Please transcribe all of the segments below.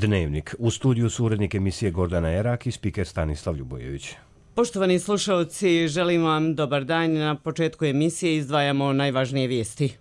Dnevnik. U studiju su urednik emisije Gordana Erak i spiker Stanislav Ljubojević. Poštovani slušalci, želim vam dobar dan. Na početku emisije izdvajamo najvažnije vijesti.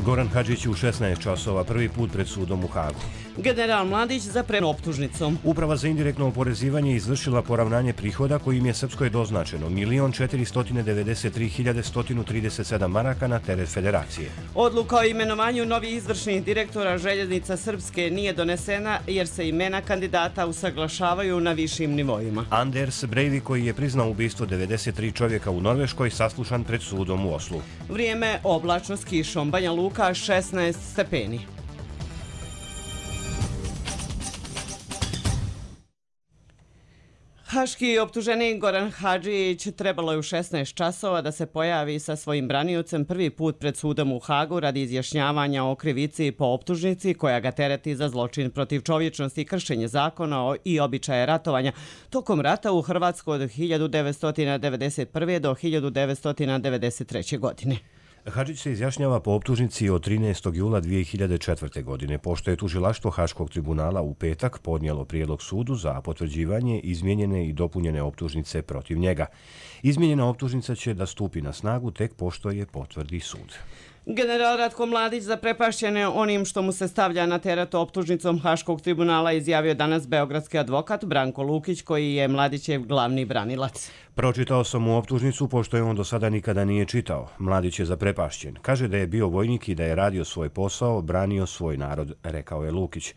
Goran Hadžić u 16 časova prvi put pred sudom u Hagu. General Mladić za optužnicom. Uprava za indirektno oporezivanje izvršila poravnanje prihoda kojim je Srpskoj doznačeno 1.493.137 maraka na teret federacije. Odluka o imenovanju novih izvršnih direktora Željeznica Srpske nije donesena jer se imena kandidata usaglašavaju na višim nivoima. Anders Breivik, koji je priznao ubistvo 93 čovjeka u Norveškoj, saslušan pred sudom u Oslu. Vrijeme oblačno s kišom. Banja Luka 16 stepeni. Haški optuženik Goran Hadžić trebalo je u 16 časova da se pojavi sa svojim braniocem prvi put pred sudom u Hagu radi izjašnjavanja o krivici po optužnici koja ga tereti za zločin protiv čovječnosti i kršenje zakona i običaje ratovanja tokom rata u Hrvatskoj od 1991. do 1993. godine. Hadžić se izjašnjava po optužnici od 13. jula 2004. godine, pošto je tužilaštvo Haškog tribunala u petak podnijelo prijedlog sudu za potvrđivanje izmijenjene i dopunjene optužnice protiv njega. Izmijenjena optužnica će da stupi na snagu tek pošto je potvrdi sud. General Ratko Mladić, zaprepašćen onim što mu se stavlja na teret optužnicom Haškog tribunala, izjavio danas beogradski advokat Branko Lukić, koji je Mladićev glavni branilac. Pročitao sam mu optužnicu pošto je on do sada nikada nije čitao. Mladić je zaprepašćen. Kaže da je bio vojnik i da je radio svoj posao, branio svoj narod, rekao je Lukić.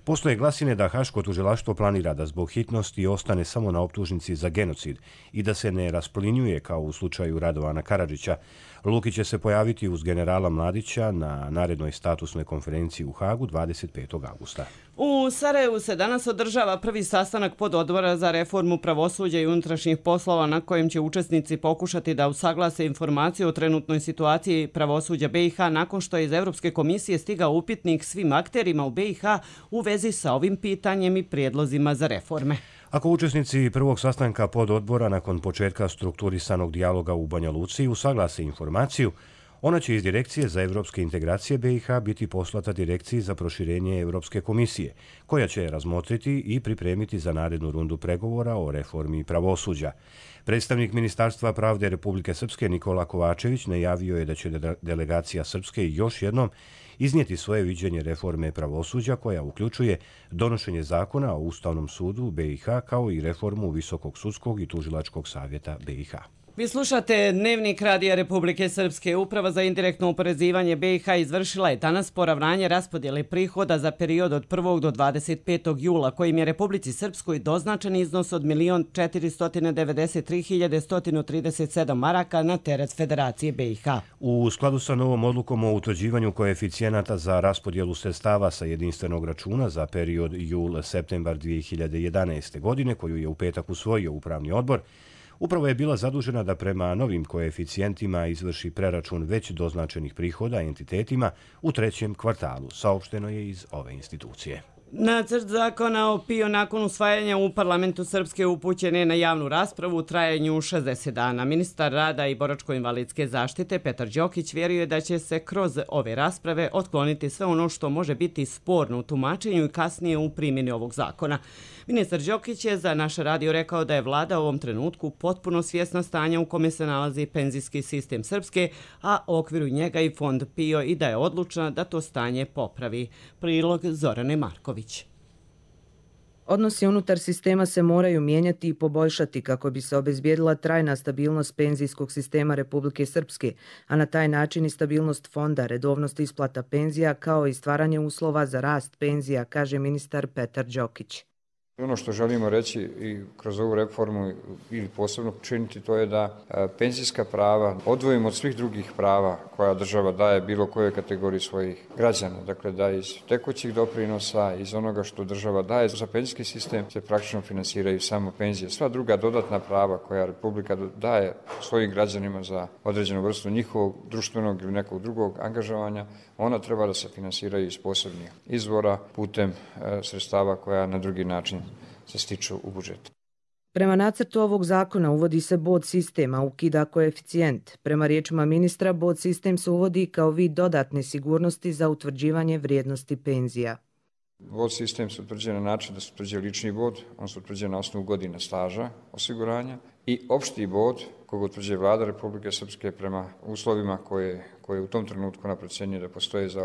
Postoje glasine da Haško tužilaštvo planira da zbog hitnosti ostane samo na optužnici za genocid i da se ne rasplinjuje kao u slučaju Radovana Karadžića. Lukić će se pojaviti uz generala Mladića na narednoj statusnoj konferenciji u Hagu 25. augusta. U Sarajevu se danas održava prvi sastanak pododbora za reformu pravosuđa i unutrašnjih poslova na kojem će učesnici pokušati da usaglase informaciju o trenutnoj situaciji pravosuđa BiH nakon što je iz Evropske komisije stigao upitnik svim akterima u BiH u vezi sa ovim pitanjem i prijedlozima za reforme. Ako učesnici prvog sastanka pododbora nakon početka strukturisanog dijaloga u Banja Luci usaglase informaciju, ona će iz Direkcije za evropske integracije BiH biti poslata Direkciji za proširenje Evropske komisije, koja će razmotriti i pripremiti za narednu rundu pregovora o reformi pravosuđa. Predstavnik Ministarstva pravde Republike Srpske Nikola Kovačević najavio je da će delegacija Srpske još jednom iznijeti svoje viđenje reforme pravosuđa koja uključuje donošenje zakona o Ustavnom sudu BiH kao i reformu Visokog sudskog i tužilačkog savjeta BiH. Vi slušate Dnevnik Radija Republike Srpske. Uprava za indirektno oporezivanje BiH izvršila je danas poravnanje raspodjele prihoda za period od 1. do 25. jula, kojim je Republici Srpskoj doznačen iznos od 1.493.137 maraka na teret Federacije BiH. U skladu sa novom odlukom o utvrđivanju koeficijenata za raspodjelu sredstava sa jedinstvenog računa za period jul-septembar 2011. godine, koju je u petak usvojio Upravni odbor, upravo je bila zadužena da prema novim koeficijentima izvrši preračun već doznačenih prihoda entitetima u trećem kvartalu, saopšteno je iz ove institucije. Nacrt zakona o PIO nakon usvajanja u parlamentu Srpske upućen je na javnu raspravu u trajanju 60 dana. Ministar rada i boračko-invalidske zaštite Petar Đokić vjeruje da će se kroz ove rasprave otkloniti sve ono što može biti sporno u tumačenju i kasnije u primjeni ovog zakona. Ministar Đokić je za naš radio rekao da je vlada u ovom trenutku potpuno svjesna stanja u kome se nalazi penzijski sistem Srpske, a u okviru njega i fond PIO i da je odlučna da to stanje popravi. Prilog Zorane Marković. Odnosi unutar sistema se moraju mijenjati i poboljšati kako bi se obezbijedila trajna stabilnost penzijskog sistema Republike Srpske, a na taj način i stabilnost fonda, redovnost isplata penzija kao i stvaranje uslova za rast penzija, kaže ministar Petar Đokić. Ono što želimo reći i kroz ovu reformu ili posebno činiti, to je da penzijska prava odvojimo od svih drugih prava koja država daje bilo kojoj kategoriji svojih građana. Dakle, da iz tekućih doprinosa, iz onoga što država daje za penzijski sistem se praktično finansiraju samo penzije. Sva druga dodatna prava koja Republika daje svojim građanima za određenu vrstu njihovog društvenog ili nekog drugog angažovanja, ona treba da se finansiraju iz posebnih izvora putem sredstava koja na drugi način se stiču u budžetu. Prema nacrtu ovog zakona uvodi se bod sistema, ukida koeficijent. Prema riječima ministra, bod sistem se uvodi kao vid dodatne sigurnosti za utvrđivanje vrijednosti penzija. Bod sistem se utvrđuje na način da se utvrđuje lični bod, on se utvrđuje na osnovu godina staža osiguranja i opšti bod koga utvrđuje Vlada Republike Srpske prema uslovima koje u tom trenutku ona procjenjuje da postoje za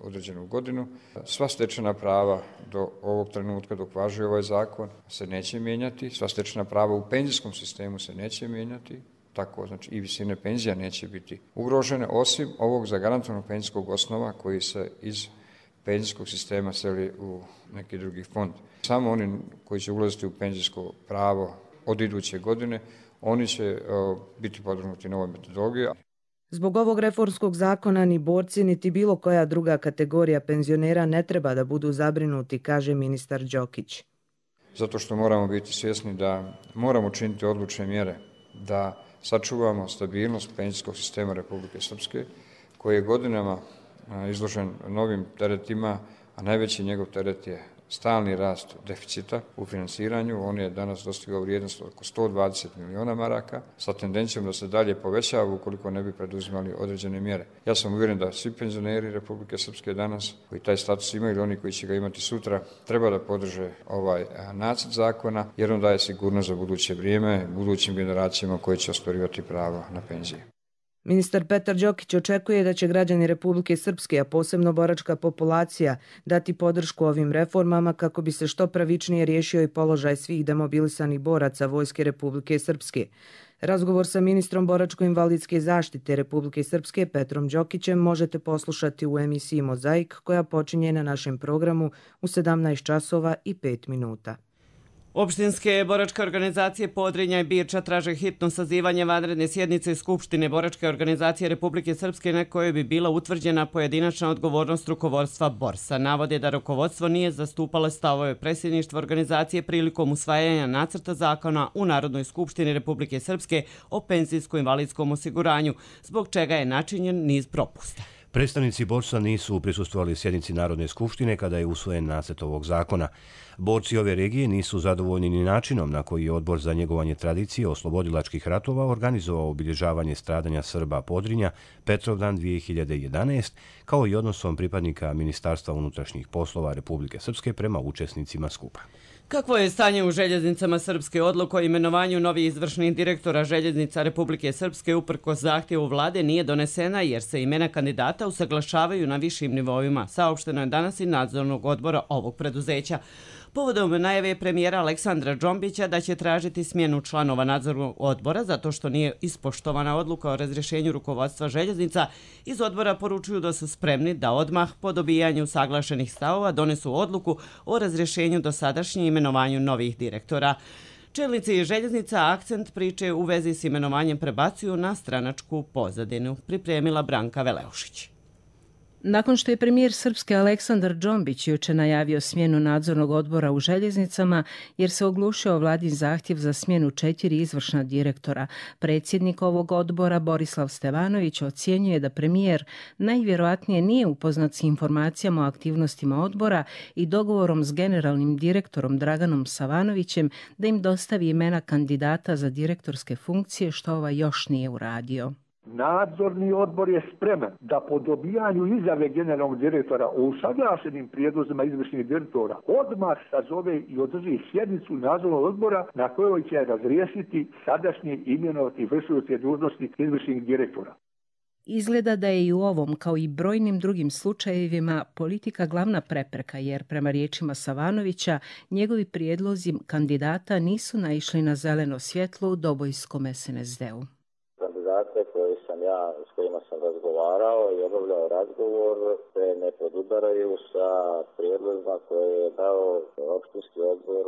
određenu godinu. Sva stečena prava do ovog trenutka dok važi ovaj zakon se neće mijenjati, sva stečena prava u penzijskom sistemu se neće mijenjati, tako znači i visine penzija neće biti ugrožene, osim ovog zagarantovanog penzijskog osnova koji se iz penzijskog sistema seli u neki drugi fond. Samo oni koji će ulaziti u penzijsko pravo od iduće godine, oni će biti podvrgnuti novoj metodologiji. Zbog ovog reformskog zakona ni borci niti bilo koja druga kategorija penzionera ne treba da budu zabrinuti, kaže ministar Đokić. Zato što moramo biti svjesni da moramo činiti odlučne mjere da sačuvamo stabilnost penzijskog sistema Republike Srpske, koji je godinama izložen novim teretima, a najveći njegov teret je stalni rast deficita u finansiranju. On je danas dostigao vrijednost oko 120 miliona maraka sa tendencijom da se dalje povećava ukoliko ne bi preduzimali određene mjere. Ja sam uvjeren da svi penzioneri Republike Srpske danas koji taj status imaju ili oni koji će ga imati sutra treba da podrže ovaj nacrt zakona jer on daje sigurnost za buduće vrijeme, budućim generacijama koji će ostvarivati pravo na penzije. Ministar Petar Đokić očekuje da će građani Republike Srpske, a posebno boračka populacija, dati podršku ovim reformama kako bi se što pravičnije riješio i položaj svih demobilisanih boraca Vojske Republike Srpske. Razgovor sa ministrom boračko-invalidske zaštite Republike Srpske Petrom Đokićem možete poslušati u emisiji Mozaik koja počinje na našem programu u 17 časova i 5 minuta. Opštinske boračke organizacije Podrinja i Birča traže hitno sazivanje vanredne sjednice Skupštine Boračke organizacije Republike Srpske na kojoj bi bila utvrđena pojedinačna odgovornost rukovodstva Borsa. Navode da rukovodstvo nije zastupalo stavove predsjedništva organizacije prilikom usvajanja nacrta zakona u Narodnoj skupštini Republike Srpske o penzijsko-invalidskom osiguranju, zbog čega je načinjen niz propusta. Predstavnici borca nisu prisustvovali sjednici Narodne skupštine kada je usvojen nacrt ovog zakona. Borci ove regije nisu zadovoljni ni načinom na koji je Odbor za njegovanje tradicije oslobodilačkih ratova organizovao obilježavanje stradanja Srba Podrinja Petrovdan 2011, kao i odnosom pripadnika Ministarstva unutrašnjih poslova Republike Srpske prema učesnicima skupa. Kakvo je stanje u željeznicama Srpske? Odluka o imenovanju novih izvršnih direktora željeznica Republike Srpske uprkos zahtjevu vlade nije donesena jer se imena kandidata usaglašavaju na višim nivoima. Saopšteno je danas i nadzornog odbora ovog preduzeća. Povodom najave premijera Aleksandra Džombića da će tražiti smjenu članova nadzornog odbora zato što nije ispoštovana odluka o razrješenju rukovodstva željeznica, iz odbora poručuju da su spremni da odmah po dobijanju saglašenih stavova donesu odluku o razrješenju dosadašnjih imenovanju novih direktora. Čelnici željeznica akcent priče u vezi s imenovanjem prebacuju na stranačku pozadinu, pripremila Branka Veleušić. Nakon što je premijer Srpske Aleksandar Džombić juče najavio smjenu nadzornog odbora u željeznicama jer se oglušio vladin zahtjev za smjenu 4 izvršna direktora, predsjednik ovog odbora Borislav Stevanović ocjenjuje da premijer najvjerojatnije nije upoznat s informacijama o aktivnostima odbora i dogovorom s generalnim direktorom Draganom Savanovićem da im dostavi imena kandidata za direktorske funkcije, što ovaj još nije uradio. Nadzorni odbor je spreman da po dobijanju izjave generalnog direktora o usaglašenim prijedlozima izvršnih direktora odmah sazove i održi sjednicu nadzornog odbora na kojoj će razriješiti sadašnje imenovati vršioce dužnosti izvršnih direktora. Izgleda da je i u ovom, kao i brojnim drugim slučajevima, politika glavna prepreka, jer prema riječima Savanovića, njegovi prijedlozi kandidata nisu naišli na zeleno svjetlo u Dobojskom SNSD-u. S kojima sam razgovarao i obavljao razgovor se ne podudaraju sa prijedlozima koje je dao opštinski odbor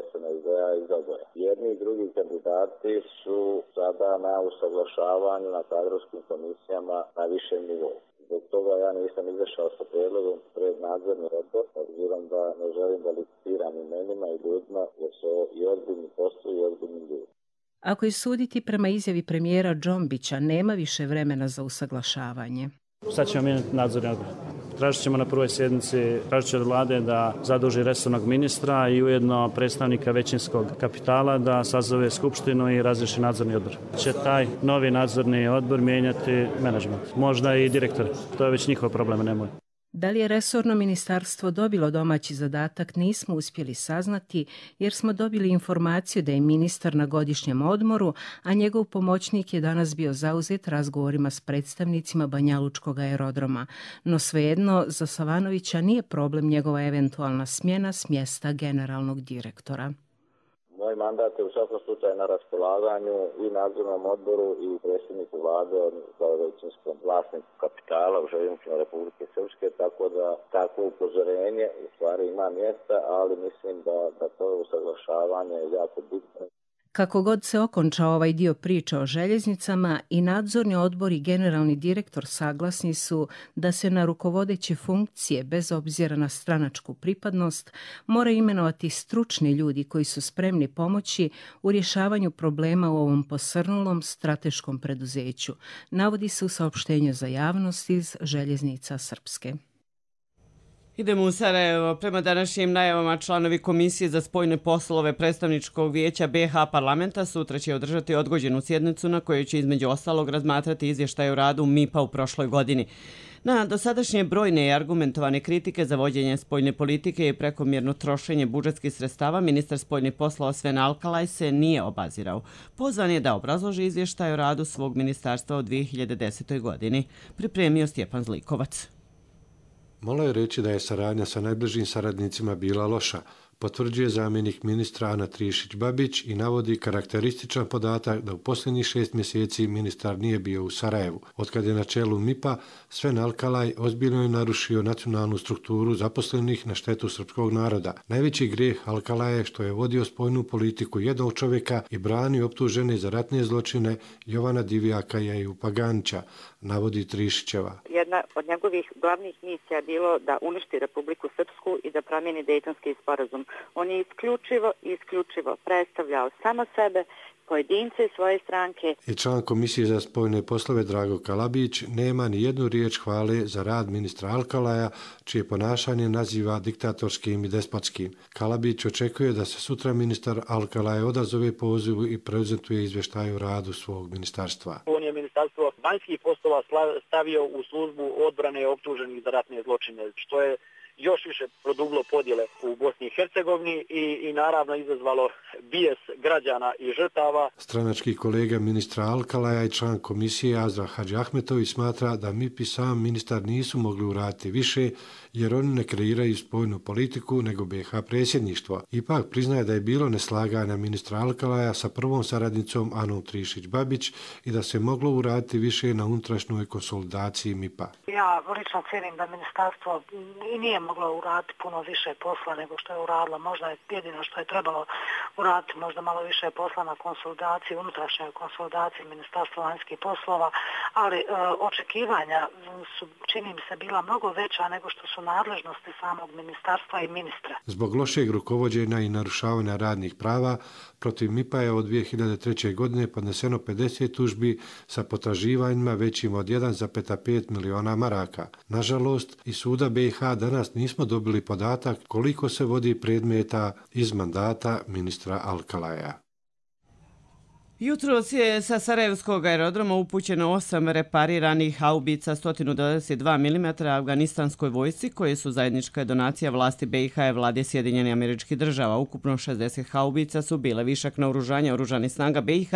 SNSD-a iz Doboja. Jedni i drugi kandidati su sada na usaglašavanju na kadrovskim komisijama na višem nivou. Zbog toga ja nisam izašao sa prijedlogom pred nadzorni odbor, obzirom da ne želim da licitiram imenima i ljudima, jer su i ozbiljni poslovi i ozbiljni ljudi. Ako je suditi prema izjavi premijera Džombića, nema više vremena za usaglašavanje. Sad ćemo mijenjati nadzorni odbor. Tražit ćemo na prvoj sjednici, tražit će od vlade da zaduži resornog ministra i ujedno predstavnika većinskog kapitala da sazove skupštinu i razriješi nadzorni odbor. Će taj novi nadzorni odbor mijenjati menadžment, možda i direktore. To je već njihov problem, ne moj. Da li je resorno ministarstvo dobilo domaći zadatak nismo uspjeli saznati jer smo dobili informaciju da je ministar na godišnjem odmoru, a njegov pomoćnik je danas bio zauzet razgovorima s predstavnicima Banjalučkog aerodroma. No svejedno, za Savanovića nije problem njegova eventualna smjena s mjesta generalnog direktora. Moj mandat je u svakom slučaju na raspolaganju i nadzornom odboru i predsjedniku vlade, kao većinskom vlasniku kapitala u Željeznicama Republike Srpske, tako da takvo upozorenje u stvari ima mjesta, ali mislim da to usaglašavanje je jako bitno. Kako god se okončao ovaj dio priče o željeznicama, i nadzorni odbor i generalni direktor saglasni su da se na rukovodeće funkcije, bez obzira na stranačku pripadnost, moraju imenovati stručni ljudi koji su spremni pomoći u rješavanju problema u ovom posrnulom strateškom preduzeću, navodi se u saopštenju za javnost iz Željeznica Srpske. Idemo u Sarajevo. Prema današnjim najavama članovi Komisije za spoljne poslove Predstavničkog vijeća BiH parlamenta sutra će održati odgođenu sjednicu na kojoj će između ostalog razmatrati izvještaj o radu MIP-a u prošloj godini. Na dosadašnje brojne i argumentovane kritike za vođenje spoljne politike i prekomjerno trošenje budžetskih sredstava, ministar spoljnih poslova Sven Alkalaj se nije obazirao. Pozvan je da obrazloži izvještaj o radu svog ministarstva u 2010. godini. Pripremio Stjepan Zlikovac. Malo je reći da je saradnja sa najbližim saradnicima bila loša, potvrđuje zamjenik ministra Ana Trišić-Babić i navodi karakterističan podatak da u posljednjih 6 mjeseci ministar nije bio u Sarajevu. Otkad je na čelu MIP-a, Sven Alkalaj ozbiljno je narušio nacionalnu strukturu zaposlenih na štetu srpskog naroda. Najveći grijeh Alkalaja je što je vodio spoljnu politiku jednog čovjeka i branio optužene za ratne zločine Jovana Divjaka i Ejupa Paganića, navodi Trišićeva. Jedna od njegovih glavnih misija je bilo da uništi Republiku Srpsku i da promijeni Dejtonski sporazum. On je isključivo predstavljao samo sebe, pojedince i svoje stranke. I član Komisije za spoljne poslove Drago Kalabić nema ni jednu riječ hvale za rad ministra Alkalaja, čije ponašanje naziva diktatorskim i despotskim. Kalabić očekuje da se sutra ministar Alkalaj odazove pozivu i prezentuje izvještaj o radu svog ministarstva. On je ministarstvo vanjskih poslova stavio u službu odbrane optuženih za ratne zločine, što je još više produbilo podjele u Bosni i Hercegovini i naravno izazvalo bijes građana i žrtava. Stranački kolega ministra Alkalaja i član komisije Azra Hadžiahmetović smatra da MIP i sam ministar nisu mogli uraditi više jer oni ne kreiraju spoljnu politiku nego BiH predsjedništvo. Ipak priznaje da je bilo neslaganja ministra Alkalaja sa prvom saradnicom Anom Trišić-Babić i da se moglo uraditi više na unutrašnjoj konsolidaciji MIP-a. Ja lično cijenim da ministarstvo nije moglo uraditi puno više posla nego što je uradilo. Možda je jedino što je trebalo uraditi možda malo više posla na konsolidaciji, unutrašnjoj konsolidaciji Ministarstva vanjskih poslova, ali očekivanja su, čini mi se, bila mnogo veća nego što su nadležnosti samog ministarstva i ministra. Zbog lošeg rukovođenja i narušavanja radnih prava, protiv MIP-a je od 2003. godine podneseno 50 tužbi sa potraživanjima većim od 1,5 miliona maraka. Nažalost, iz suda BiH danas nismo dobili podatak koliko se vodi predmeta iz mandata ministra Alkalaja. Jutros je sa Sarajevskog aerodroma upućeno 8 repariranih haubica 122 mm afganistanskoj vojsci, koje su zajednička donacija vlasti BiH i vlade Sjedinjenih Američkih Država. Ukupno 60 haubica su bile višak naoružanja oružanih snaga BiH,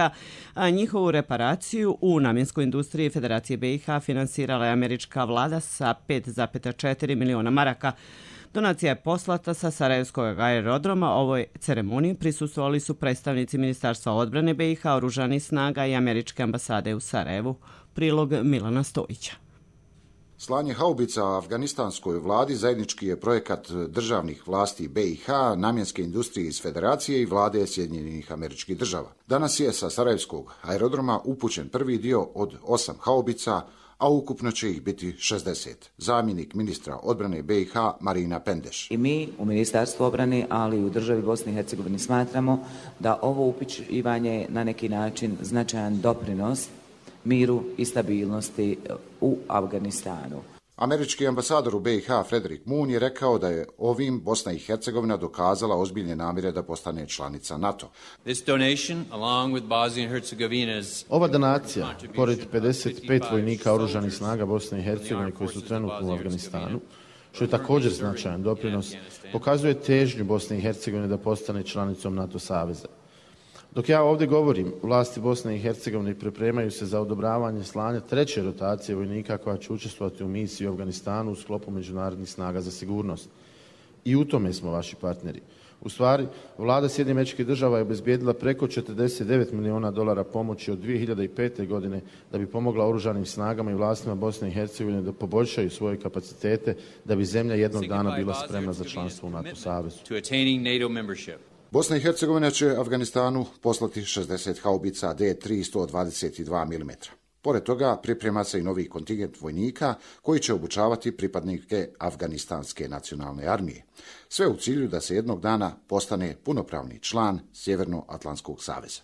a njihovu reparaciju u namjenskoj industriji Federacije BiH finansirala je američka vlada sa 5,4 miliona maraka. Donacija je poslata sa Sarajevskog aerodroma. Ovoj ceremoniji prisustvovali su predstavnici Ministarstva odbrane BiH, oružanih snaga i američke ambasade u Sarajevu. Prilog Milana Stojića. Slanje haubica afganistanskoj vladi zajednički je projekat državnih vlasti BiH, namjenske industrije iz Federacije i vlade Sjedinjenih Američkih Država. Danas je sa Sarajevskog aerodroma upućen prvi dio od 8 haubica, a ukupno će ih biti 60. Zamjenik ministra odbrane BiH Marina Pendeš. I mi u Ministarstvu obrane, ali i u državi Bosne i Hercegovine smatramo da ovo upućivanje na neki način značajan doprinos miru i stabilnosti u Afganistanu. Američki ambasador u BiH Frederick Moon je rekao da je ovim Bosna i Hercegovina dokazala ozbiljne namjere da postane članica NATO. Ova donacija, pored 55 vojnika oružanih snaga Bosne i Hercegovine koji su trenutno u Afganistanu, što je također značajan doprinos, pokazuje težnju Bosne i Hercegovine da postane članicom NATO saveza. Dok ja ovdje govorim, vlasti Bosne i Hercegovine pripremaju se za odobravanje slanja treće rotacije vojnika koja će učestvovati u misiji u Afganistanu u sklopu međunarodnih snaga za sigurnost. I u tome smo vaši partneri. U stvari, vlada Sjedinjenih Američkih Država je obezbijedila preko $49 milijuna pomoći od 2005. godine da bi pomogla oružanim snagama i vlastima Bosne i Hercegovine da poboljšaju svoje kapacitete da bi zemlja jednog dana bila spremna za članstvo u NATO savezu. Bosna i Hercegovina će Afganistanu poslati 60 haubica D3 122 mm. Pored toga priprema se i novi kontingent vojnika koji će obučavati pripadnike Afganistanske nacionalne armije. Sve u cilju da se jednog dana postane punopravni član Sjevernoatlantskog saveza.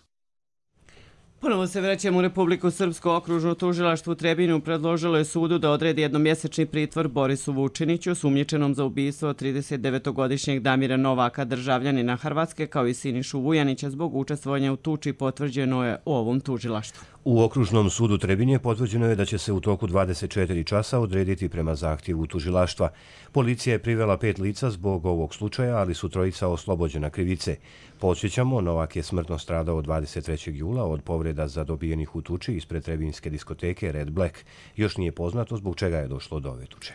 Ponovo se vraćamo u Republiku Srpsku. Okružno tužilaštvo u Trebinju predložilo je sudu da odredi jednomjesečni pritvor Borisu Vučiniću, sumnjičenom za ubistvo 39-godišnjeg Damira Novaka, državljanina Hrvatske, kao i Sinišu Vujanića zbog učestvovanja u tuči, potvrđeno je u ovom tužilaštvu. U Okružnom sudu Trebinje potvrđeno je da će se u toku 24 časa odrediti prema zahtjevu tužilaštva. Policija je privela 5 lica zbog ovog slučaja, ali su 3 oslobođena krivice. Podsjećamo, Novak je smrtno stradao 23. jula od povreda zadobijenih u tuči ispred trebinjske diskoteke Red Black. Još nije poznato zbog čega je došlo do ove tuče.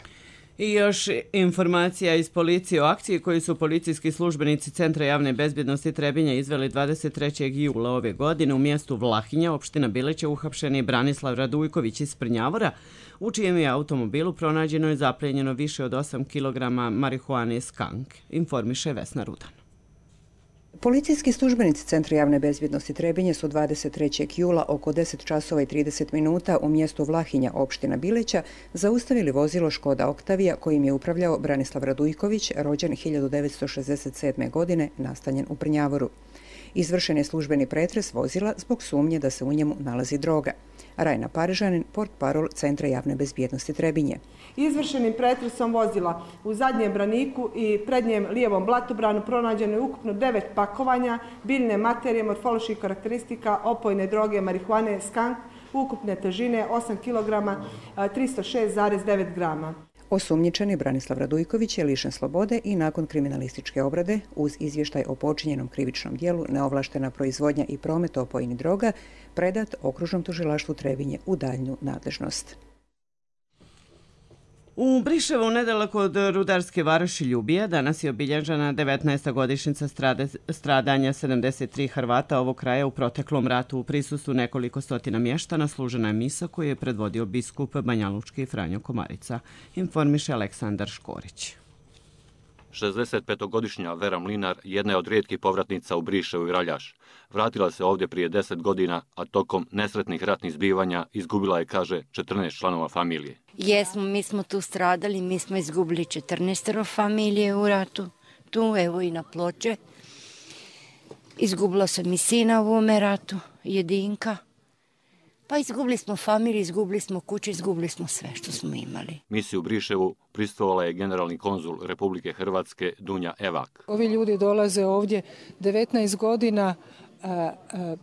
I još informacija iz policije o akciji koju su policijski službenici Centra javne bezbjednosti Trebinja izveli 23. jula ove godine u mjestu Vlahinja, opština Bileće, uhapšeni Branislav Radujković iz Prnjavora, u čijem je automobilu pronađeno i zapljenjeno više od 8 kg marihuane skank, informiše Vesna Rudan. Policijski službenici Centra javne bezbjednosti Trebinje su 23. jula oko 10 časova i 30 minuta u mjestu Vlahinja, opština Bileća, zaustavili vozilo Škoda Oktavija kojim je upravljao Branislav Radujković, rođen 1967. godine, nastanjen u Prnjavoru. Izvršen je službeni pretres vozila zbog sumnje da se u njemu nalazi droga. Rajna Parižanin, portparol Centra javne bezbjednosti Trebinje. Izvršenim pretresom vozila u zadnjem braniku i prednjem lijevom blatobranu pronađeno je ukupno 9 pakovanja biljne materije morfoloških karakteristika opojne droge marihuane skank ukupne težine 8 kg 306,9 grama. Osumnjičeni Branislav Radujković je lišen slobode i nakon kriminalističke obrade uz izvještaj o počinjenom krivičnom dijelu neovlaštena proizvodnja i promet opojnih droga predat Okružnom tužilaštvu Trebinje u daljnju nadležnost. U Briševu, nedaleko od rudarske varoši Ljubija, danas je obilježena 19. godišnjica stradanja 73 Hrvata ovog kraja u proteklom ratu. U prisustvu nekoliko stotina mještana služena je misa koju je predvodio biskup banjalučki Franjo Komarica, informiše Aleksandar Škorić. 65-godišnja Vera Mlinar jedna je od rijetkih povratnica u Briševu i Raljaš. Vratila se ovdje prije 10 godina, a tokom nesretnih ratnih zbivanja izgubila je, kaže, 14 članova familije. Jesmo, mi smo tu stradali, mi smo izgubili 14 familije u ratu, tu evo i na Ploče. Izgubila sam i sina u ovome ratu, Jedinka. Pa izgubili smo familiju, izgubili smo kuće, izgubili smo sve što smo imali. Misiju u Briševu pristupala je generalni konzul Republike Hrvatske Dunja Evak. Ovi ljudi dolaze ovdje 19 godina,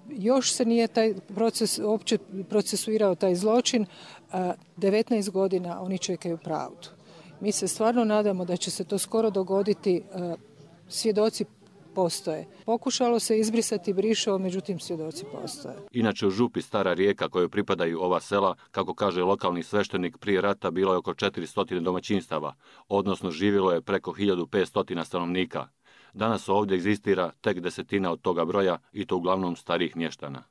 još se nije taj proces uopće procesuirao taj zločin, 19 godina oni čekaju pravdu. Mi se stvarno nadamo da će se to skoro dogoditi, svjedoci postoje. Pokušalo se izbrisati Briševo, međutim svjedoci postoje. Inače u župi Stara Rijeka kojoj pripadaju ova sela, kako kaže lokalni sveštenik, prije rata bilo je oko 400 domaćinstava, odnosno živjelo je preko 1500 stanovnika. Danas ovdje egzistira tek 10 od toga broja i to uglavnom starih mještana.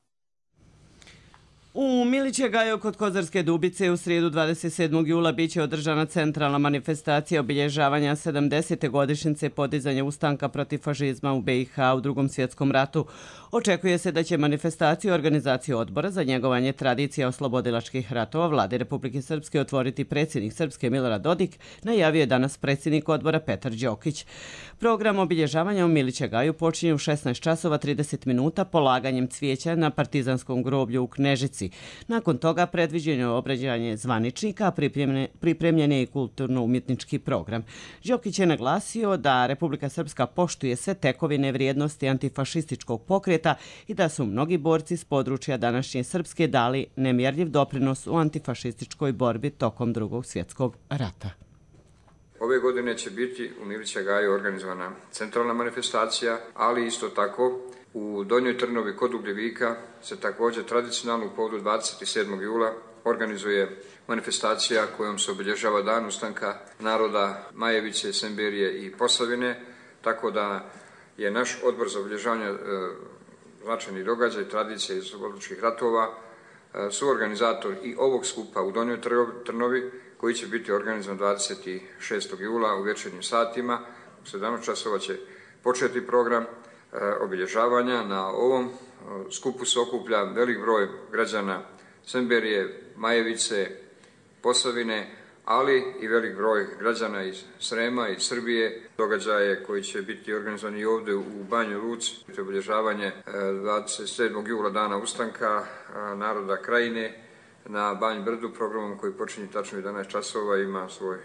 U Milićegaju kod Kozarske Dubice u srijedu 27. jula biće održana centralna manifestacija obilježavanja 70. godišnjice podizanja ustanka protiv fašizma u BiH u Drugom svjetskom ratu. Očekuje se da će manifestaciju organizaciju odbora za njegovanje tradicija oslobodilačkih ratova Vlade Republike Srpske otvoriti predsjednik Srpske Milorad Dodik, najavio je danas predsjednik odbora Petar Đokić. Program obilježavanja u Milićegaju počinje u 16 časova 30 minuta polaganjem cvijeća na partizanskom groblju u Knežici. Subotici. Nakon toga predviđeno je obrađanje zvaničnika, pripremljen je i kulturno-umjetnički program. Đokić je naglasio da Republika Srpska poštuje sve tekovine vrijednosti antifašističkog pokreta i da su mnogi borci s područja današnje Srpske dali nemjerljiv doprinos u antifašističkoj borbi tokom Drugog svjetskog rata. Ove godine će biti u Milića Gaju organizovana centralna manifestacija, ali isto tako u Donjoj Trnovi kod Ugljevika se također tradicionalno u povodu 27. jula organizuje manifestacija kojom se obilježava dan ustanka naroda Majevice, Semberije i Posavine, tako da je naš odbor za obilježavanje značajnih događaja i tradicije iz oslobodilačkih ratova suorganizator i ovog skupa u Donjoj Trnovi, koji će biti organizovan 26. jula u večernjim satima. U 17 časova će početi program obilježavanja. Na ovom skupu se okuplja velik broj građana Semberije, Majevice, Posavine, ali i velik broj građana iz Srema i Srbije. Događaje koji će biti organizovani ovdje u Banjoj Luci, obilježavanje 27. jula dana ustanka naroda Krajine na Banj Brdu, programom koji počinje tačno 11 časova, ima svoj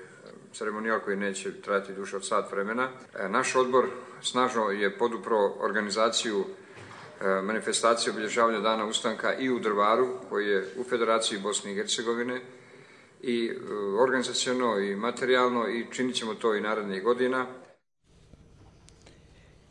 ceremonijal koji neće trajati duže od sat vremena. Naš odbor snažno je podupro organizaciju manifestacije obilježavanja dana ustanka i u Drvaru, koji je u Federaciji Bosne i Hercegovine, i organizaciono i materijalno, i činit ćemo to i narednih godina.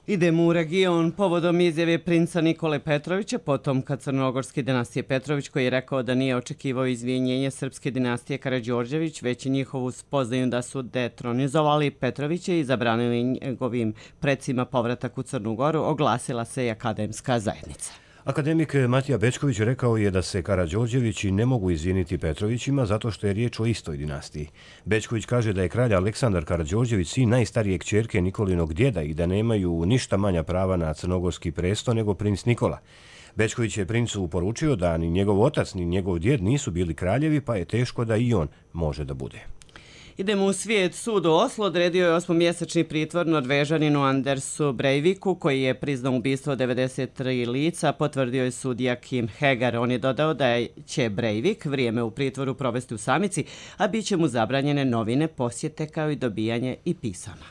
Idemo u region povodom izjave princa Nikole Petrovića, potomka crnogorske dinastije Petrović, koji je rekao da nije očekivao izvinjenje srpske dinastije Karađorđević, već njihovu spoznaju da su detronizovali Petrovića i zabranili njegovim predsima povratak u Crnu Goru, oglasila se i akademska zajednica. Akademik Matija Bečković rekao je da se Karađorđevići ne mogu izviniti Petrovićima zato što je riječ o istoj dinastiji. Bečković kaže da je kralj Aleksandar Karađorđević sin najstarije kćerke Nikolinog djeda i da nemaju ništa manja prava na crnogorski presto nego princ Nikola. Bečković je princu poručio da ni njegov otac ni njegov djed nisu bili kraljevi, pa je teško da i on može da bude. Idemo u svijet. Sud u Oslo odredio je 8-mjesečni pritvor Norvežaninu Andersu Breiviku, koji je priznao ubistvo 93 lica, potvrdio je sudija Kim Hegar. On je dodao da će Breivik vrijeme u pritvoru provesti u samici, a bit će mu zabranjene novine, posjete kao i dobijanje i pisama.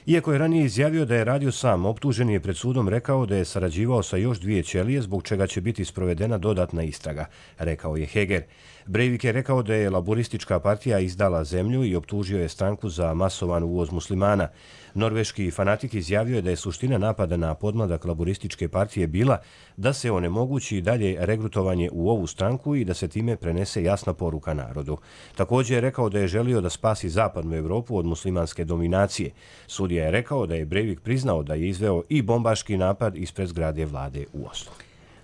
Iako je ranije izjavio da je radio sam, optuženi je pred sudom rekao da je sarađivao sa još 2 ćelije, zbog čega će biti sprovedena dodatna istraga, rekao je Heger. Breivik je rekao da je laboristička partija izdala zemlju i optužio je stranku za masovan uvoz muslimana. Norveški fanatik izjavio je da je suština napada na podmladak laborističke partije bila da se onemogući dalje regrutovanje u ovu stranku i da se time prenese jasna poruka narodu. Također je rekao da je želio da spasi zapadnu Evropu od muslimanske dominacije. Sudija je rekao da je Breivik priznao da je izveo i bombaški napad ispred zgrade vlade u Oslu.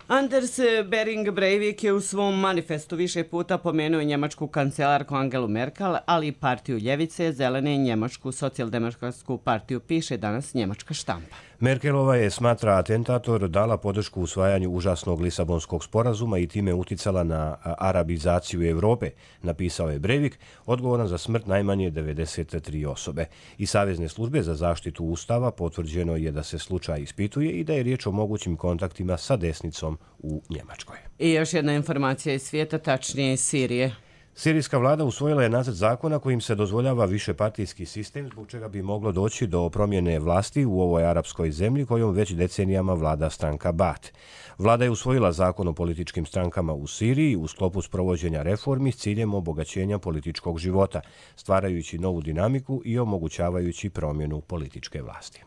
Anders Behring Breivik je u svom manifestu više puta pomenuo njemačku kancelarku Angelu Merkel, ali i partiju Ljevice, Zelene i njemačku socijaldemokratsku partiju, piše danas njemačka štampa. Merkelova je, smatra atentator, dala podršku usvajanju užasnog Lisabonskog sporazuma i time uticala na arabizaciju Evrope, napisao je Breivik, odgovoran za smrt najmanje 93 osobe. I Savezne službe za zaštitu Ustava potvrđeno je da se slučaj ispituje i da je riječ o mogućim kontaktima sa desnicom u Njemačkoj. I još jedna informacija iz svijeta, tačnije iz Sirije. Sirijska vlada usvojila je nacrt zakona kojim se dozvoljava višepartijski sistem, zbog čega bi moglo doći do promjene vlasti u ovoj arapskoj zemlji kojom već decenijama vlada stranka Baath. Vlada je usvojila zakon o političkim strankama u Siriji u sklopu sprovođenja reformi s ciljem obogaćenja političkog života, stvarajući novu dinamiku i omogućavajući promjenu političke vlasti.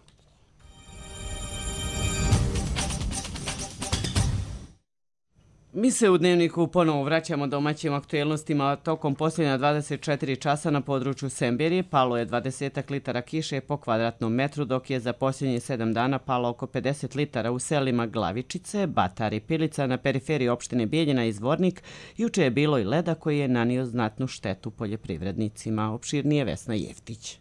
Mi se u Dnevniku ponovo vraćamo domaćim aktuelnostima. Tokom posljednja 24 časa na području Semberije palo je 20 litara kiše po kvadratnom metru, dok je za posljednjih 7 dana palo oko 50 litara u selima Glavičice, Batar i Pilica na periferiji opštine Bijeljina i Zvornik. Juče je bilo i leda koji je nanio znatnu štetu poljoprivrednicima. Opširnije Vesna Jeftić.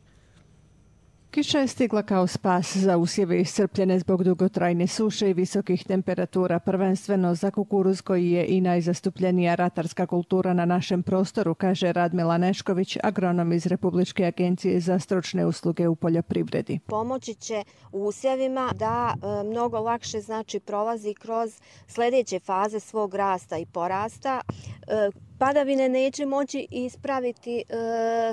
Kiša je stigla kao spas za usjeve iscrpljene zbog dugotrajne suše i visokih temperatura, prvenstveno za kukuruz koji je i najzastupljenija ratarska kultura na našem prostoru, kaže Radmila Nešković, agronom iz Republičke agencije za stručne usluge u poljoprivredi. Pomoći će usjevima da mnogo lakše prolazi kroz sljedeće faze svog rasta i porasta. Padavine neće moći ispraviti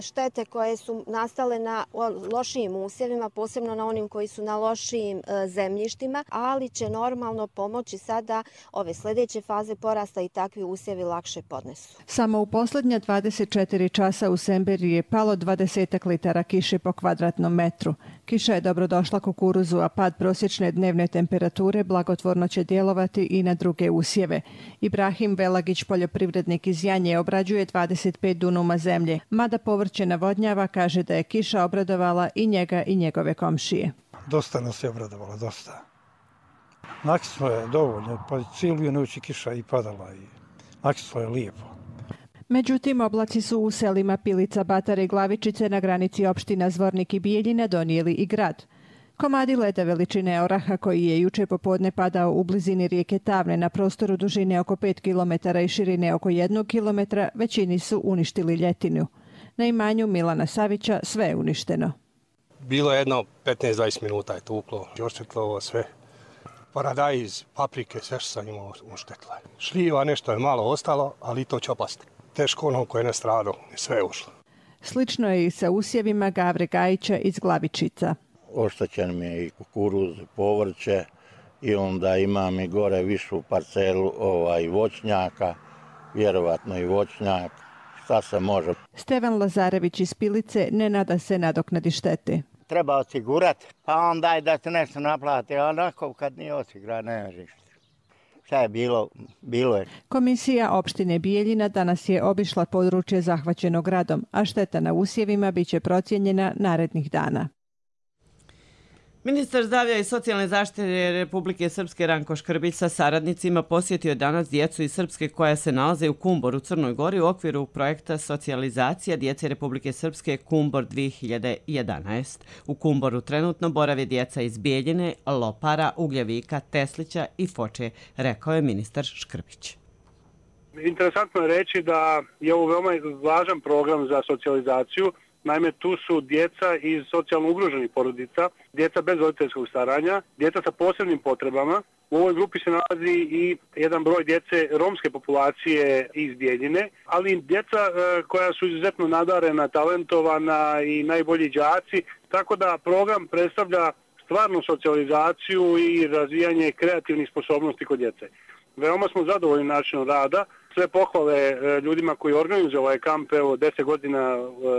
štete koje su nastale na lošijim usjevima, posebno na onim koji su na lošijim zemljištima, ali će normalno pomoći sada ove sljedeće faze porasta i takvi usjevi lakše podnesu. Samo u posljednja 24 časa u Semberiji je palo 20 litara kiše po kvadratnom metru. Kiša je dobrodošla kukuruzu, a pad prosječne dnevne temperature blagotvorno će djelovati i na druge usjeve. Ibrahim Velagić, poljoprivrednik iz Janje, obrađuje 25 dunuma zemlje. Mada povrće navodnjava, kaže da je kiša obradovala i njega i njegove komšije. Dosta nas je obradovala, dosta. Nakislo je dovoljno, pa cijelu noć kiša i padala i nakislo je lijepo. Međutim, oblaci su u selima Pilica, Batare i Glavičice na granici opština Zvornik i Bijeljina donijeli i grad. Komadi leda veličine oraha koji je juče popodne padao u blizini rijeke Tavne na prostoru dužine oko 5 km i širine oko 1 km, većini su uništili ljetinu. Na imanju Milana Savića sve je uništeno. Bilo je jedno 15-20 minuta je tuklo, oštetilo ovo sve. Paradajz, paprike, sve što sam imao uštetilo. Šljiva nešto je malo ostalo, ali to će opasti. Teško ono koje je nastradao, sve je ušlo. Slično je i sa usjevima Gavre Gajića iz Glavičica. Oštećen mi je i kukuruz, povrće i onda imam i gore višu parcelu voćnjaka, vjerovatno i voćnjak. Šta se može? Stevan Lazarević iz Pilice ne nada se nadoknadi štete. Treba osigurati, pa onda i da se nešto naplati, a onako kad nije osigura, ne možeš. Šta je bilo, bilo je. Komisija opštine Bijeljina danas je obišla područje zahvaćeno gradom, a šteta na usjevima biće procijenjena narednih dana. Ministar zdravlja i socijalne zaštite Republike Srpske Ranko Škrbić sa saradnicima posjetio danas djecu iz Srpske koja se nalaze u Kumboru, Crnoj Gori u okviru projekta socijalizacija djece Republike Srpske Kumbor 2011. U Kumboru trenutno borave djeca iz Bijeljine, Lopara, Ugljevika, Teslića i Foče, rekao je ministar Škrbić. Interesantno je reći da je ovo veoma važan program za socijalizaciju. Naime, tu su djeca iz socijalno ugroženih porodica, djeca bez roditeljskog staranja, djeca sa posebnim potrebama. U ovoj grupi se nalazi i jedan broj djece romske populacije iz Bijeljine, ali djeca koja su izuzetno nadarena, talentovana i najbolji đaci, tako da program predstavlja stvarnu socijalizaciju i razvijanje kreativnih sposobnosti kod djece. Veoma smo zadovoljni načinom rada. Sve pohvale ljudima koji organizuju ovaj kamp 10 godina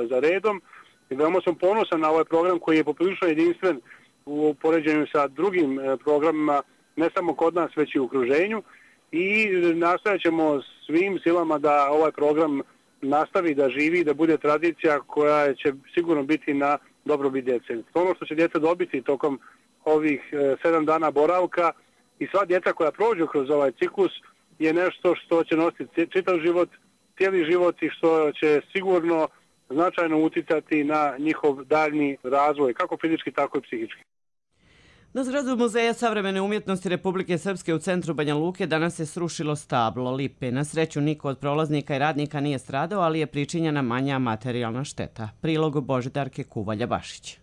za redom. I veoma sam ponosan na ovaj program koji je poprilično jedinstven u poređenju sa drugim programima, ne samo kod nas, već i u okruženju. I nastojat ćemo svim silama da ovaj program nastavi, da živi, da bude tradicija koja će sigurno biti na dobrobit djece. Ono što će djeca dobiti tokom ovih 7 dana boravka i sva djeca koja prođu kroz ovaj ciklus je nešto što će nositi čitav život, cijeli život i što će sigurno značajno uticati na njihov daljni razvoj, kako fizički, tako i psihički. Na zgradu Muzeja savremene umjetnosti Republike Srpske u centru Banja Luke danas se srušilo stablo lipe. Na sreću niko od prolaznika i radnika nije stradao, ali je pričinjena manja materijalna šteta. Prilog Božidarke Kuvalja-Bašić.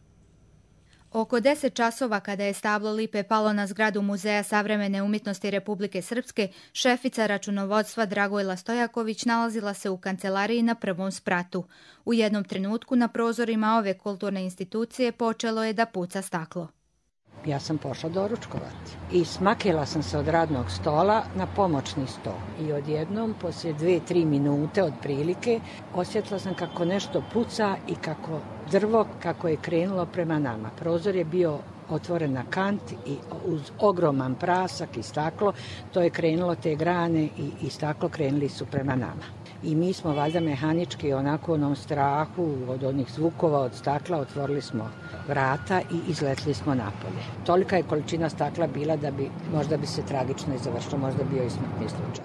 Oko 10 časova kada je stablo lipe palo na zgradu Muzeja savremene umjetnosti Republike Srpske, šefica računovodstva Dragojla Stojaković nalazila se u kancelariji na prvom spratu. U jednom trenutku na prozorima ove kulturne institucije počelo je da puca staklo. Ja sam pošla doručkovati i smakila sam se od radnog stola na pomoćni stol. I odjednom, poslije 2-3 minute otprilike, osjetila sam kako nešto puca i kako drvo kako je krenulo prema nama. Prozor je bio otvoren na kant i uz ogroman prasak i staklo, to je krenulo, te grane i staklo krenuli su prema nama. I mi smo valjda mehanički onako u onom strahu od onih zvukova od stakla otvorili smo vrata i izletli smo napolje. Tolika je količina stakla bila da možda bi se tragično i završilo, možda bio i smrtni slučaj.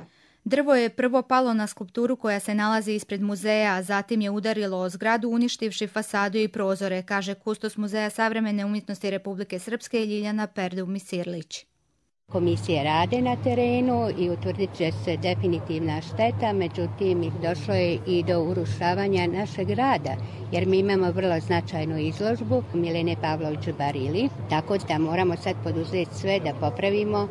Drvo je prvo palo na skulpturu koja se nalazi ispred muzeja, a zatim je udarilo o zgradu uništivši fasadu i prozore, kaže kustos Muzeja savremene umjetnosti Republike Srpske Ljiljana Perdu-Misirlić. Komisije rade na terenu i utvrdit će se definitivna šteta, međutim došlo je i do urušavanja našeg rada, jer mi imamo vrlo značajnu izložbu Milene Pavlović-Barili, tako da moramo sad poduzeti sve da popravimo,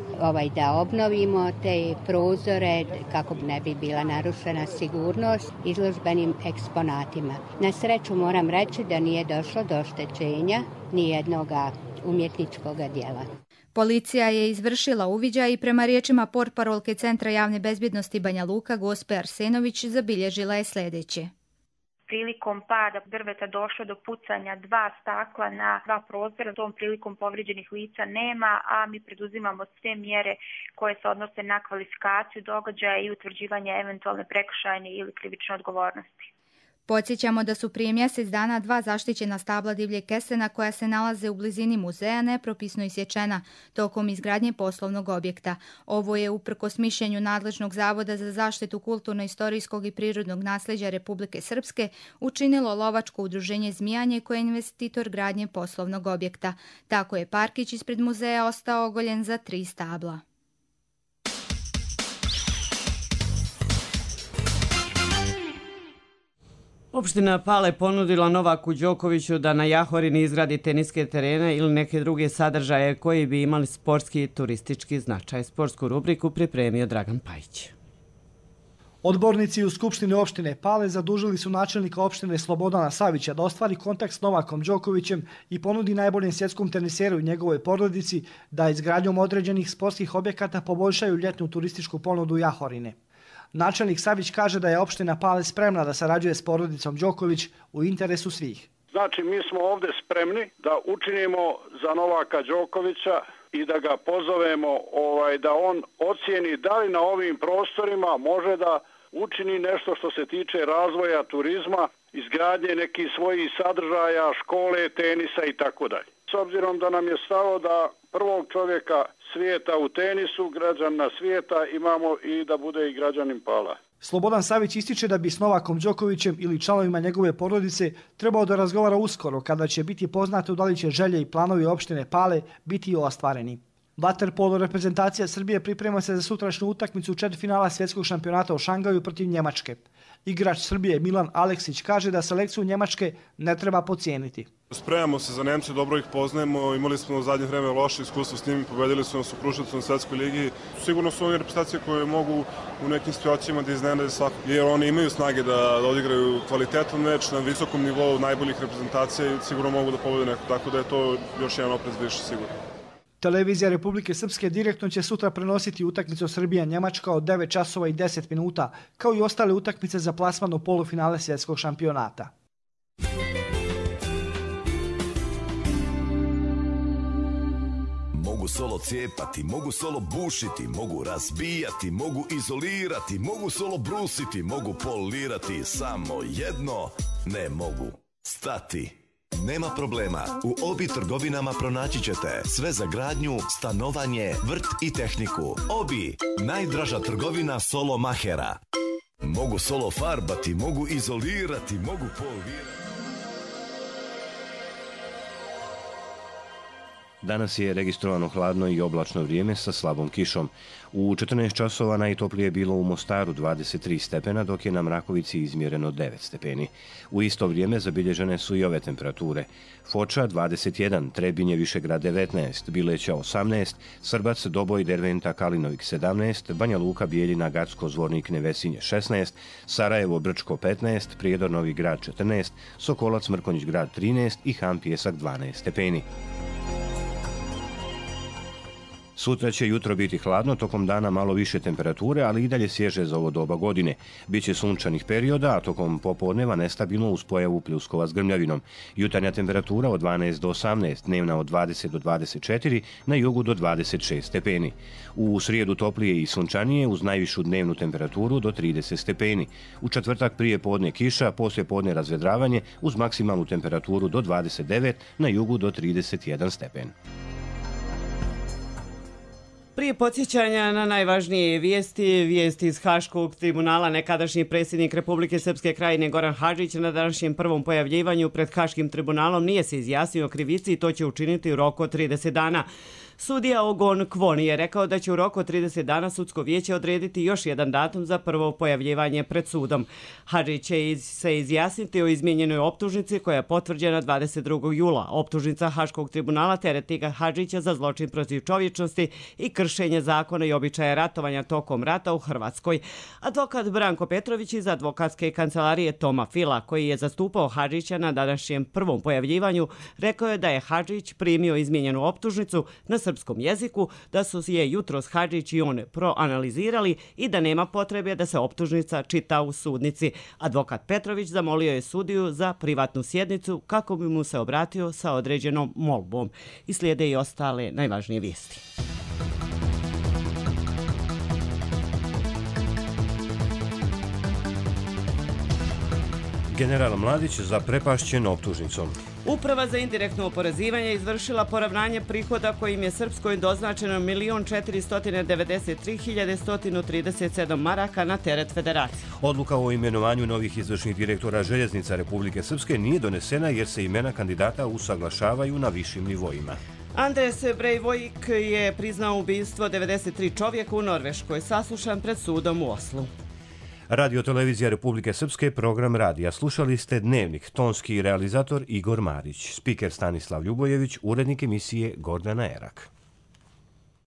da obnovimo te prozore kako ne bi bila narušena sigurnost izložbenim eksponatima. Na sreću moram reći da nije došlo do oštećenja nijednoga umjetničkog djela. Policija je izvršila uviđaj i prema riječima portparolke Centra javne bezbjednosti Banja Luka Gospe Arsenović zabilježila je sljedeće. Prilikom pada drveta došlo do pucanja 2 stakla na 2 prozora. Tom prilikom povrijeđenih lica nema, a mi preduzimamo sve mjere koje se odnose na kvalifikaciju događaja i utvrđivanje eventualne prekršajne ili krivične odgovornosti. Podsjećamo da su prije mjesec dana 2 zaštićena stabla divljeg kesena koja se nalaze u blizini muzeja nepropisno isječena tokom izgradnje poslovnog objekta. Ovo je uprkos mišljenju nadležnog Zavoda za zaštitu kulturno-istorijskog i prirodnog nasljeđa Republike Srpske učinilo lovačko udruženje Zmijanje koje je investitor gradnje poslovnog objekta. Tako je parkić ispred muzeja ostao ogoljen za 3 stabla. Opština Pale ponudila Novaku Đokoviću da na Jahorini izgradi teniske terene ili neke druge sadržaje koji bi imali sportski i turistički značaj. Sportsku rubriku pripremio Dragan Pajić. Odbornici u Skupštini opštine Pale zadužili su načelnika opštine Slobodana Savića da ostvari kontakt s Novakom Đokovićem i ponudi najboljem svjetskom teniseru i njegovoj porodici da izgradnjom određenih sportskih objekata poboljšaju ljetnu turističku ponudu Jahorine. Načelnik Savić kaže da je opština Pale spremna da sarađuje s porodicom Đoković u interesu svih. Znači, mi smo ovdje spremni da učinimo za Novaka Đokovića i da ga pozovemo da on ocijeni da li na ovim prostorima može da učini nešto što se tiče razvoja turizma, izgradnje nekih svojih sadržaja, škole, tenisa i tako dalje. S obzirom da nam je stalo da prvog čovjeka svijeta u tenisu, građana svijeta, imamo i da bude i građanin Pala. Slobodan Savić ističe da bi s Novakom Đokovićem ili članovima njegove porodice trebao da razgovara uskoro kada će biti poznato da li će želje i planovi opštine Pale biti ostvareni. Vaterpolo reprezentacija Srbije priprema se za sutrašnju utakmicu četvrtfinala svjetskog šampionata u Šangaju protiv Njemačke. Igrač Srbije Milan Aleksić kaže da selekciju Njemačke ne treba podcijeniti. Spremamo se za Nemce, dobro ih poznajemo, imali smo u zadnje vreme loše iskustvo s njimi, pobedili su nas u Kruševcu na Svetskoj ligi. Sigurno su oni reprezentacije koje mogu u nekim situacijama da iznenade svakog, jer oni imaju snage da odigraju kvalitetan meč na visokom nivou najboljih reprezentacija i sigurno mogu da pobede neko, tako da je to još jedan oprez više sigurno. Televizija Republike Srpske direktno će sutra prenositi utakmicu Srbija-Njemačka od 9 časova i 10 minuta, kao i ostale utakmice za plasman u polufinale svjetskog šampionata. Mogu solo cijepati, mogu solo bušiti, mogu razbijati, mogu izolirati, mogu solo brusiti, mogu polirati, samo jedno ne mogu stati. Nema problema, u Obi trgovinama pronaći ćete sve za gradnju, stanovanje, vrt i tehniku. Obi, najdraža trgovina solo mahera. Mogu solo farbati, mogu izolirati, mogu polirati. Danas je registrovano hladno i oblačno vrijeme sa slabom kišom. U 14 časova najtoplije je bilo u Mostaru 23 stepena, dok je na Mrakovici izmjereno 9 stepeni. U isto vrijeme zabilježene su i ove temperature. Foča 21, Trebinje, Višegrad 19, Bileća 18, Srbac, Doboj, Derventa, Kalinovik 17, Banja Luka, Bijeljina, Gacko, Zvornik, Nevesinje 16, Sarajevo, Brčko 15, Prijedor, Novi Grad 14, Sokolac, Mrkonjić Grad 13 i Han Pjesak 12 stepeni. Sutra će jutro biti hladno, tokom dana malo više temperature, ali i dalje svježe za ovo doba godine. Biće sunčanih perioda, a tokom popodneva nestabilno uz pojavu pljuskova s grmljavinom. Jutarnja temperatura od 12 do 18, dnevna od 20 do 24, na jugu do 26 stepeni. U srijedu toplije i sunčanije uz najvišu dnevnu temperaturu do 30 stepeni. U četvrtak prije podne kiša, poslije podne razvedravanje uz maksimalnu temperaturu do 29, na jugu do 31 stepen. Prije podsjećanja na najvažnije vijesti iz Haškog tribunala, nekadašnji predsjednik Republike Srpske Krajine Goran Hadžić na današnjem prvom pojavljivanju pred Haškim tribunalom nije se izjasnio o krivici i to će učiniti u roku od 30 dana. Sudija Ogon Kvon je rekao da će u roku od 30 dana sudsko vijeće odrediti još jedan datum za prvo pojavljivanje pred sudom. Hadžić će se izjasniti o izmijenjenoj optužnici koja je potvrđena 22. jula. Optužnica Haškog tribunala tereti ga Hadžića za zločin protiv čovječnosti i kršenje zakona i običaja ratovanja tokom rata u Hrvatskoj. Advokat Branko Petrović iz advokatske kancelarije Toma Fila, koji je zastupao Hadžića na današnjem prvom pojavljivanju, rekao je da je Hadžić primio izmijenjenu optužnicu na srpskom jeziku, da su je jutros Hadžić i on proanalizirali i da nema potrebe da se optužnica čita u sudnici. Advokat Petrović zamolio je sudiju za privatnu sjednicu kako bi mu se obratio sa određenom molbom. I slijede i ostale najvažnije vijesti. General Mladić zaprepašćen optužnicom. Uprava za indirektno oporezivanje izvršila poravnanje prihoda kojim je Srpskoj doznačeno 1.493.137 maraka na teret federacije. Odluka o imenovanju novih izvršnih direktora Željeznica Republike Srpske nije donesena jer se imena kandidata usaglašavaju na višim nivoima. Andres Breivik je priznao ubistvo 93 čovjeka u Norveškoj, saslušan pred sudom u Oslu. Radio Televizija Republike Srpske, program radija. Slušali ste Dnevnik, tonski realizator Igor Marić, spiker Stanislav Ljubojević, urednik emisije Gordana Erak.